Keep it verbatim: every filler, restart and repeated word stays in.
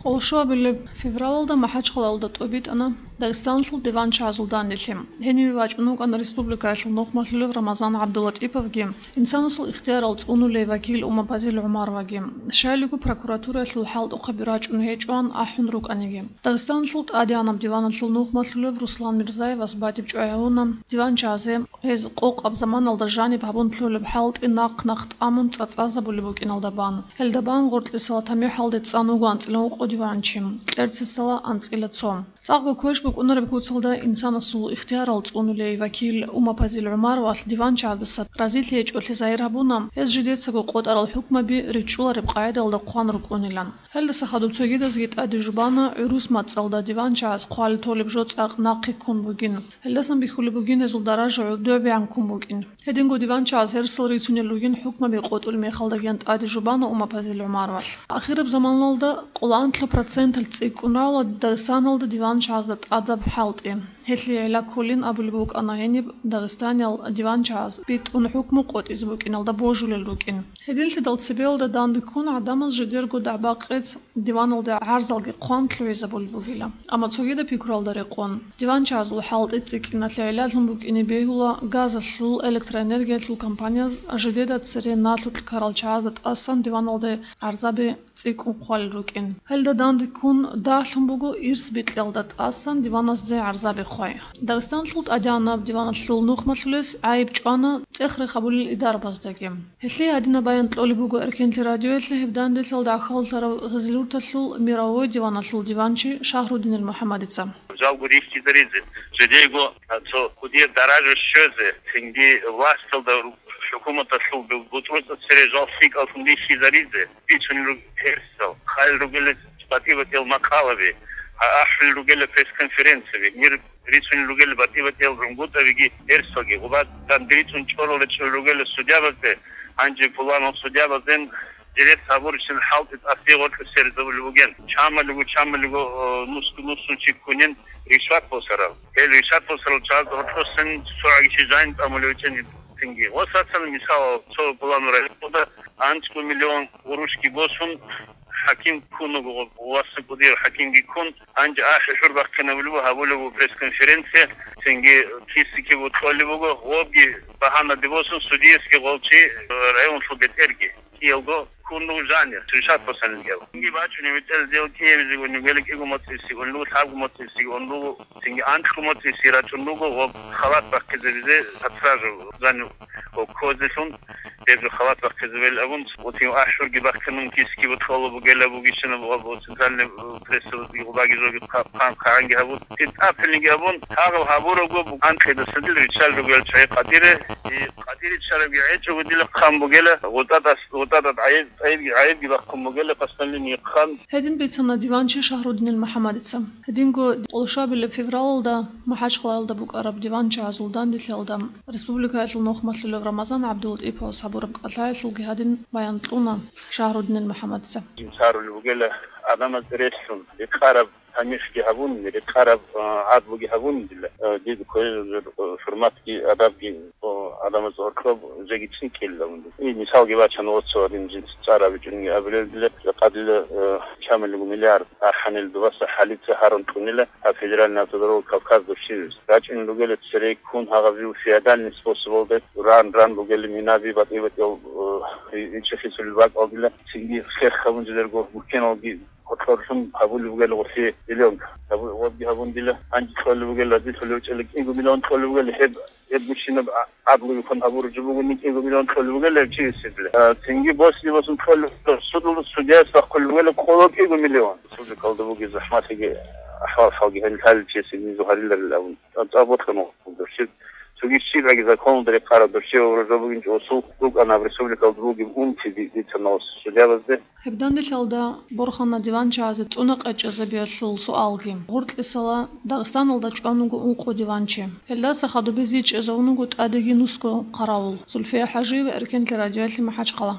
Къолшуабилеб февралалда МахӀачхъалаялда тӀобитӀана Дагъистаналъул диванчагӀазул данделъи. Гьениве вачӀун вукӀана республикаялъул нухмалъулев Рамазан ГӀабдуллатӀиповги, инсанасул ихтиярал цӀунулей вакил Умапазил ГӀумароваги. Щайлаго прокуратураялъул хӀалтӀухъаби рачӀун гьечӀоан ахӀун рукӀаниги. Дагъистаналъул тӀадегӀанаб диваналъул нухмалъулев Руслан Мирзаевас батӀиб чӀвай гьавуна диванчагӀазе, гьез къокъаб заманалда жаниб гьабун лъолеб хӀалтӀи нахъ-нахъ тӀамун цӀацӀазабулеб букӀиналда бан. Гьелда бан гъоркьисала тамихӀалде цӀан вуго анцӀила ункъо диванчи, кьерцесала анцӀила цо. ЦӀакъго квеш букӀунареб куцалда инсанасул ихтиярал цӀунулей вакил Умапазил ГӀумаровалъ диванчагӀаздаса разилъи гьечӀолъи загьир гьабуна, гьез жидецаго къотӀарал хӀукмаби ричӀчӀулареб къагӀидаялда хъван рукӀунилан. Гьелдаса хадуб цогидазги тӀаде жубана, гӀурус мацӀалда диванчагӀаз хъвалел толеб жо цӀакъ нахъе ккун бугин. Гьелдасан бихьулеб бугин гьезул даража гӀодобегӀан ккун букӀин. Гьединго диванчагӀаз гьерсал рицунел ругин хӀукмаби къотӀулеб мехалдагиян тӀаде жубана Умапазил ГӀумаровалъ. Ахираб заманалда къоло анлъаб проценталъ цӀикӀкӀун равла Дагъистаналда диванчагӀазда тӀадаб хӀалтӀи. Гьелъие гӀилла кколин абулеб букӀана гьениб Дагъистаниял диванчагӀаз битӀун хӀукму къотӀизе букӀиналда божулел рукӀин. Гьединлъидал цебеялда данде ккун гӀадамаз жидерго дагӀба-къец диваналде гӀарзалги хъван лъугӀизабулеб бугила. Амма цогидаб пикруялда рекъон, диванчагӀазул хӀалтӀи цӀикӀкӀиналъе гӀилла лъун букӀине бегьула газалъул, электроэнергиялъул компанияз жидеда цере налъулъ ккарал чагӀазда тӀасан диваналде гӀарзаби цӀикӀкӀун хъвалел рукӀин. Гьелда данде ккун дагьлъун буго ирс бикьиялда тӀасан диваназде гӀарзаби хъвай. Дагъистаналъул тӀадегӀанаб диваналъул нухмалъулес гӀайиб чӀвана цӀех-рех гьабулел идарабаздаги. Гьелъие гьадинаб баян кьолеб буго Эркенлъи радиоялъе гьеб данделъалда гӀахьаллъарав Гъизлурталъул мировой диваналъул диванчи Шагьруддинил МухӀаммадица. Жалго рихьизаризе, жидейго цо кӀудияб даража щвезе, цинги власталда, хӀукуматалъул бутӀрузда цере жал лъикӀаллъун рихьизаризе, бицунел ругел гьерсал, хъалил ругел батӀи-батӀиял макъалаби, а-, ахӀулел ругел пресс-конференцияби, мир рицунел ругел батӀи-батӀиял рунгутӀабиги гьерсалги, гъуба данде рицун чӀорал речӀчӀулел ругел судьябазде, гьанже пуланал судьябазден директ гьабурищин хӀалтӀи тӀасде гъоркье сверизабулеб бугин. Чамалиго, чамалиго, э, нусго-нусунчи ккунин ришват босарал. Гьел ришват босарал чагӀаз гъоркьосин цогӀаги чи жайн тӀамулев гьечӀин цинги. Ва сацан мисал, цо пуланал районда анцӀго миллион гъурущги босун, хӀаким ккун вуго, васса кӀудияв хӀакимги ккун, гьанже ахӀи-хӀур бахъинабулеб буго, гьабулеб буго пресс-конференция, цинги киси-киб кьолеб буго, гъобги багьанаде босун, судиясги гъолчи, э, районалъул бетӀерги. Киялго ккун руго жанир, ришват босанилгал. Цинги бачӀунеб бетӀер сделки гьабизеги унеб гьеле кӀиго моцӀиси, унлугу лъабго моцӀиси, унлугу, цинги анлъго моцӀиси рачӀун руго, гъоб халат бахъизабизе, под стражу, жанир, гъоб козелъун, гьеб жо халат бахъизабел абун, цинги ахӀурги бахъинун киски бутӀрулеб бугила бугищинаб гъоб центральный, э, прессаби гъубаги жоги хъа-, хъан-, хъанги гьабун, цин тӀапилниги абун, гьагъаб гьабурабго бу-, анкьидасадил риччал ругел чагӀи къадире, и къадиричарабги гьечӀого дила хъан бугела, гъутӀатас-, гъутӀатат гӀайиб-, гӀайибги, гӀайибги бахъун бугела, къасналин йихъан. Гьедин бицана диванчи Шагьруддинил МухӀаммадица. Гьединго къоло шабилеб февралалда МахӀачхъалаялда букӀараб диванчагӀазул данделъиялда республикаялъул нухмалъулев Рамазан ГӀабдуллатӀиповас гьабураб кӀалъаялъулги гьадин баян кьуна Шагьруддинил МухӀаммадица. Царулеб бугела гӀадамаз релълъун, рекъараб тамихӀги гьабун, рекъараб, а, гӀадлуги гьабун дила, а, дида кколел, а, хӀурматги, адабги, а, гӀадамаз гьоркьоб жеги цӀикӀкӀинилан. И мисалги бачана, оцо гьадин жинца цӀар абичӀониги абулел дила, жакъа дила, а, чамалиго миллиард архӀанил дубаса хӀалица гьарун кьунила гьаб федеральный автодорога Кавказ дурсилис. РачӀунел ругела цере ккун гьагъаб жив феодальный способалда ран-ран бугела минаби батӀи-батӀиял, а, и-, ичӀи хисулел бакӀалдила, цинги хех гьабун жидерго гуккеналги гьоркьорлъун гьабулеб бугела гъолъие зеленка. Гьабу-, гъобги гьабун дила, гьанже кьолеб бугела, разилъулев чӀела кӀиго миллион кьолеб бугела, гьеб, гьеб гущинаб а-, гӀадлуйихъун гьабураб жо бугони кӀиго миллион кьолеб бугела гьеб чиясеб дила. А, цинги босни-босун кьолеб, суд-, судияс бахъулеб бугела къоло кӀиго миллион. Республикалда бугеб захӀмалъиги, ахӀвал-хӀалги гьел лъалел чиясеб низу гьариларил абун. ТӀадбохана дурсил. Цоги щибаги законалда рекъараб дурсил ва ружо бугин чӀосул рукӀана республикалда бугеб унти ди-, дица налъ судьябазде. Гьеб данделъалда борхана диванчагӀазе цӀуна къечӀезабиялъул суалги. Гъоркьисала Дагъистаналда чӀван вуго ункъо диванчи. Гьелдаса хадуб гьезие чӀезавун вуго тӀадеги нусго хъаравул. Зульфия ХӀажиева, Эркенлъи радиоялъе, МахӀачхъала.